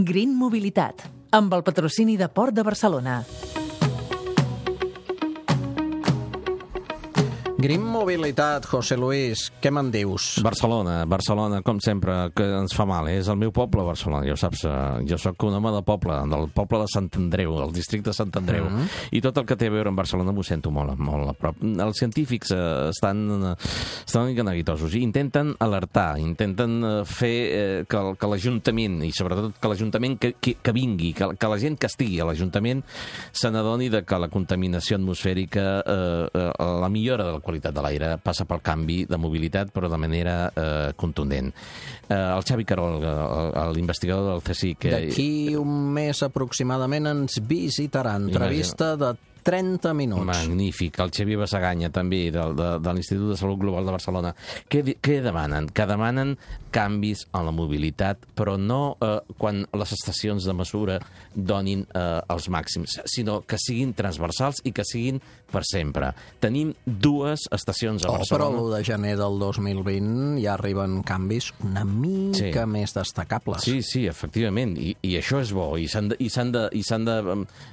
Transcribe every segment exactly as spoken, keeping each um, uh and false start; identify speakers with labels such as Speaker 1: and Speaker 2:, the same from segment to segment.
Speaker 1: Green Mobilitat, amb el patrocini de Port de Barcelona.
Speaker 2: Green Mobilitat, José Luis, què me'n dius?
Speaker 3: Barcelona, Barcelona, com sempre, que ens fa mal, eh? És el meu poble, Barcelona, ja ho saps. Jo sóc un home de poble, del poble de Sant Andreu, del districte de Sant Andreu, mm -hmm. i tot el que té a veure amb Barcelona m'ho sento molt, molt a prop. Els científics eh, estan, estan una mica neguitosos i intenten alertar, intenten fer eh, que, que l'Ajuntament, i sobretot que l'Ajuntament que, que, que vingui, que, que la gent que estigui a l'Ajuntament se n'adoni de que la contaminació atmosfèrica, eh, eh, la millora de la qualitat de l'aire passa pel canvi de mobilitat, però de manera eh, contundent. Eh, el Xavi Carol, l'investigador del C S I C...
Speaker 2: D'aquí un mes aproximadament ens visitarà. Entrevista de trenta minuts.
Speaker 3: Magnífic. El Xavier Bassaganya, també, de, de, de l'Institut de Salut Global de Barcelona. Què, què demanen? Que demanen canvis en la mobilitat, però no eh, quan les estacions de mesura donin eh, els màxims, sinó que siguin transversals i que siguin per sempre. Tenim dues estacions a Barcelona.
Speaker 2: Oh, però l'u de gener del dos mil vint ja arriben canvis una mica sí. més destacables.
Speaker 3: Sí, sí, efectivament, i, i això és bo, i s'han de, i s'han de, i s'han de,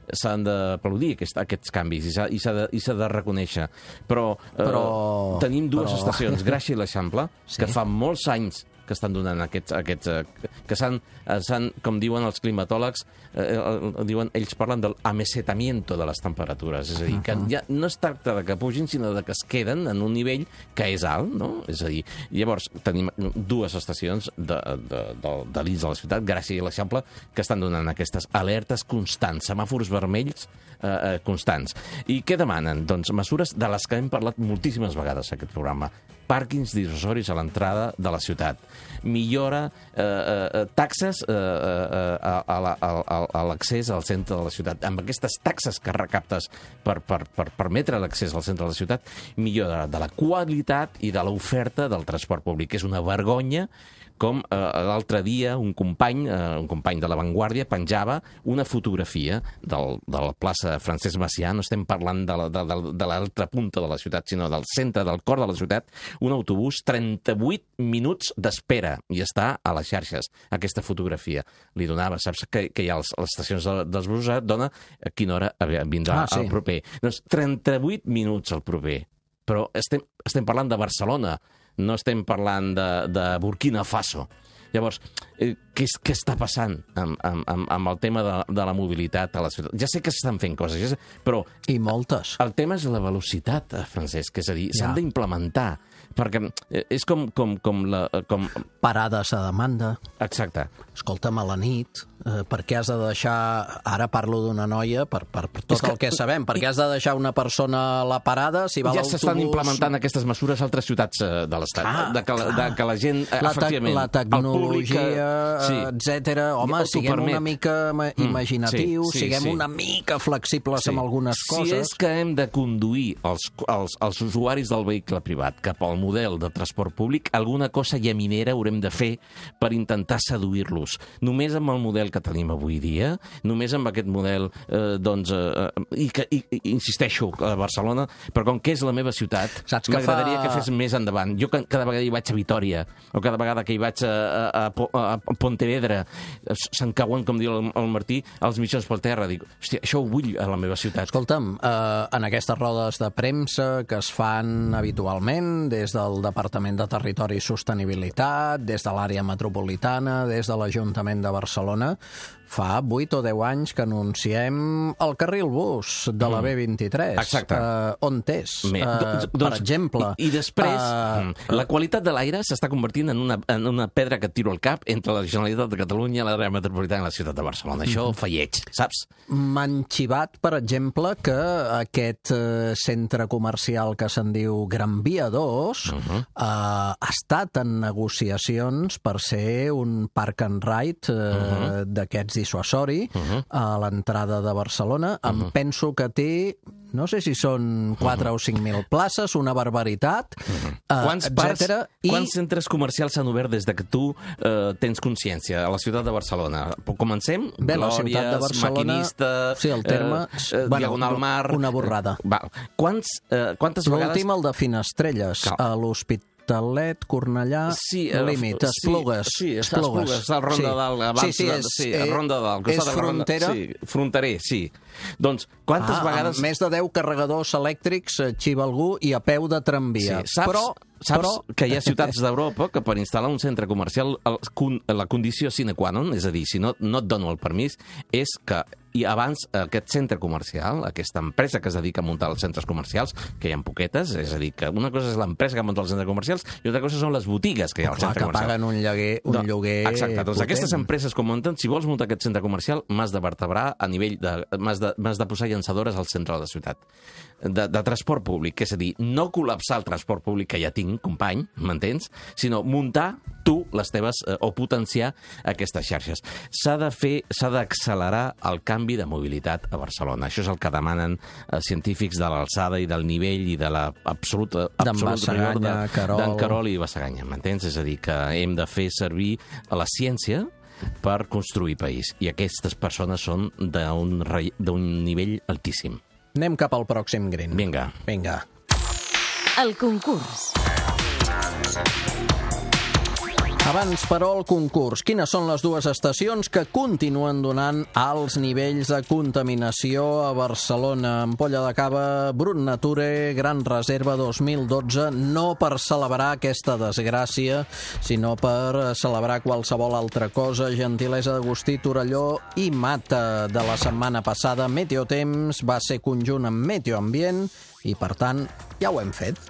Speaker 3: s'han d'aplaudir aquest, aquests canvis, i s'ha de, i s'ha de reconèixer. Però,
Speaker 2: però
Speaker 3: eh, tenim dues
Speaker 2: però...
Speaker 3: estacions, Gràcia i l'Eixample, sí. que fa molts anys que estan donant aquests... aquests eh, que s'han, s'han, com diuen els climatòlegs, eh, eh, diuen, ells parlen del amesetamiento de les temperatures, és a dir, que ja no es tracta de que pugin, sinó de que es queden en un nivell que és alt, no? És a dir, llavors tenim dues estacions de, de, de, de l'I S de la ciutat, Gràcia i l'Eixample, que estan donant aquestes alertes constants, semàfors vermells eh, eh, constants. I què demanen? Doncs mesures de les que hem parlat moltíssimes vegades en aquest programa. Pàrquings dissuasoris a l'entrada de la ciutat. Millora, eh, eh, taxes eh, eh, a, a, a, a l'accés al centre de la ciutat. Amb aquestes taxes que recaptes per, per, per permetre l'accés al centre de la ciutat, millora de la qualitat i de l'oferta del transport públic. És una vergonya com eh, l'altre dia un company, eh, un company de La Vanguardia, penjava una fotografia del, de la plaça Francesc Macià, no estem parlant de, la, de, de, de l'altra punta de la ciutat, sinó del centre, del cor de la ciutat, un autobús, trenta-vuit minuts d'espera, i està a les xarxes, aquesta fotografia. Li donava, saps que, que hi ha les, les estacions de, dels busos, et dona a quina hora vindrà ah, sí. el proper. Doncs trenta-vuit minuts el proper. Però estem, estem parlant de Barcelona, no estem parlant de, de Burkina Faso. Llavors, eh, què, què està passant amb, amb, amb el tema de, de la mobilitat a la ciutat? Ja sé que s'estan fent coses, ja sé, però...
Speaker 2: I moltes.
Speaker 3: El tema és la velocitat, Francesc, és a dir,
Speaker 2: ja.
Speaker 3: s'han d'implementar, perquè és com... com, com, la, com...
Speaker 2: Parades a demanda.
Speaker 3: Exacte.
Speaker 2: Escolta'm, a la nit, eh, per què has de deixar... Ara parlo d'una noia, per, per, per tot que... el que sabem, per què has de deixar una persona a la parada si va
Speaker 3: ja
Speaker 2: l'autobús...
Speaker 3: Ja s'estan implementant aquestes mesures a altres ciutats eh, de l'Estat, ah, de, que, de que la gent,
Speaker 2: la
Speaker 3: efectivament...
Speaker 2: La tecnologia, públic, sí. etcètera. Home, siguem permet. una mica imaginatius, mm, sí, sí, siguem sí. una mica flexibles sí. amb algunes coses.
Speaker 3: Si és que hem de conduir els, els, els usuaris del vehicle privat cap al model de transport públic, alguna cosa llaminera haurem de fer per intentar seduir-los. Només amb el model que tenim avui dia, només amb aquest model, eh, doncs, eh, i que, i, i, insisteixo, a Barcelona, però com que és la meva ciutat, m'agradaria fa... que fes més endavant. Jo cada vegada hi vaig a Vitòria, o cada vegada que hi vaig a, a, a, a Pontevedra, se'n cauen, com diu el, el Martí, els mitjans pel terra. Dic, hòstia, això ho vull a la meva ciutat.
Speaker 2: Escolta'm, eh, en aquestes rodes de premsa que es fan habitualment des del Departament de Territori i Sostenibilitat, des de l'àrea metropolitana, des de l'Ajuntament de Barcelona, fa vuit o deu anys que anunciem el carril bus de la B vint-i-tres.
Speaker 3: Exacte.
Speaker 2: Uh, on és?
Speaker 3: Uh,
Speaker 2: doncs, per exemple...
Speaker 3: I, i després, uh, la qualitat de l'aire s'està convertint en una, en una pedra que et tiro al cap entre la Generalitat de Catalunya, l'àrea metropolitana i la ciutat de Barcelona. Això uh -huh. fa lleig, saps?
Speaker 2: M'han xivat, per exemple, que aquest uh, centre comercial que se'n diu Gran Via dos uh -huh. uh, ha estat en negociacions per ser un park and ride uh, uh -huh. d'aquests dissuasori uh -huh. a l'entrada de Barcelona. Uh -huh. Em penso que té, no sé si són quatre uh -huh. o cinc mil places, una barbaritat, uh -huh. uh,
Speaker 3: quants
Speaker 2: etcètera.
Speaker 3: Parts, I... Quants centres comercials s'han obert des de que tu uh, tens consciència a la ciutat de Barcelona? Comencem?
Speaker 2: Bé, Glòries, la ciutat de Barcelona...
Speaker 3: Maquinista...
Speaker 2: Sí, el terme...
Speaker 3: Uh, uh, bueno, Diagonal Mar...
Speaker 2: Una borrada.
Speaker 3: Uh, va. Quants, uh, quantes vegades...
Speaker 2: L'últim, el de Finestrelles, a l'Hospital Hospitalet, Cornellà,
Speaker 3: Sí, eh,
Speaker 2: límit,
Speaker 3: sí,
Speaker 2: Esplugues.
Speaker 3: Sí, Esplugues, està al Ronda
Speaker 2: Sí.
Speaker 3: Dalt. Abans,
Speaker 2: Sí, sí, és,
Speaker 3: sí,
Speaker 2: eh,
Speaker 3: a Ronda Dalt.
Speaker 2: és frontera?
Speaker 3: Sí, fronterer, sí. Doncs, quantes
Speaker 2: Ah,
Speaker 3: vegades...
Speaker 2: amb més de deu carregadors elèctrics, eh, xiva algú, i a peu de tramvia.
Speaker 3: Sí, saps,
Speaker 2: però,
Speaker 3: saps
Speaker 2: però...
Speaker 3: que hi ha ciutats d'Europa que per instal·lar un centre comercial el, la condició sine qua non, és a dir, si no, no et dono el permís, és que i abans aquest centre comercial, aquesta empresa que es dedica a muntar els centres comercials, que hi ha poquetes, és a dir, que una cosa és l'empresa que munta els centres comercials i altra cosa són les botigues que hi ha al
Speaker 2: Clar,
Speaker 3: centre
Speaker 2: que
Speaker 3: comercial.
Speaker 2: paguen un lloguer, un
Speaker 3: No,
Speaker 2: lloguer
Speaker 3: exacte, doncs
Speaker 2: potent.
Speaker 3: aquestes empreses com munten, si vols muntar aquest centre comercial, m'has de vertebrar a nivell de... m'has de, m'has de posar llançadores al centre de la ciutat. De, de transport públic, és a dir, no col·lapsar el transport públic que ja tinc, company, m'entens? Sinó muntar tu les teves, eh, o potenciar aquestes xarxes. S'ha de fer, s'ha d'accelerar el canvi de mobilitat a Barcelona. Això és el que demanen eh, científics de l'alçada i del nivell i de la absoluta...
Speaker 2: D'en Basaganya, Querol...
Speaker 3: D'en Querol i Basaganya, m'entens? És a dir, que hem de fer servir la ciència per construir país. I aquestes persones són d'un re... d'un nivell altíssim.
Speaker 2: Anem cap al pròxim green.
Speaker 3: Vinga.
Speaker 2: Vinga.
Speaker 1: El concurs.
Speaker 2: Abans, però, el concurs. Quines són les dues estacions que continuen donant alts nivells de contaminació a Barcelona? Ampolla de Cava, Brut Nature, Gran Reserva dos mil dotze, no per celebrar aquesta desgràcia, sinó per celebrar qualsevol altra cosa. Gentilesa d'Agustí, Torelló i Mata. De la setmana passada, Meteotemps va ser conjunt amb Meteoambient i, per tant, ja ho hem fet.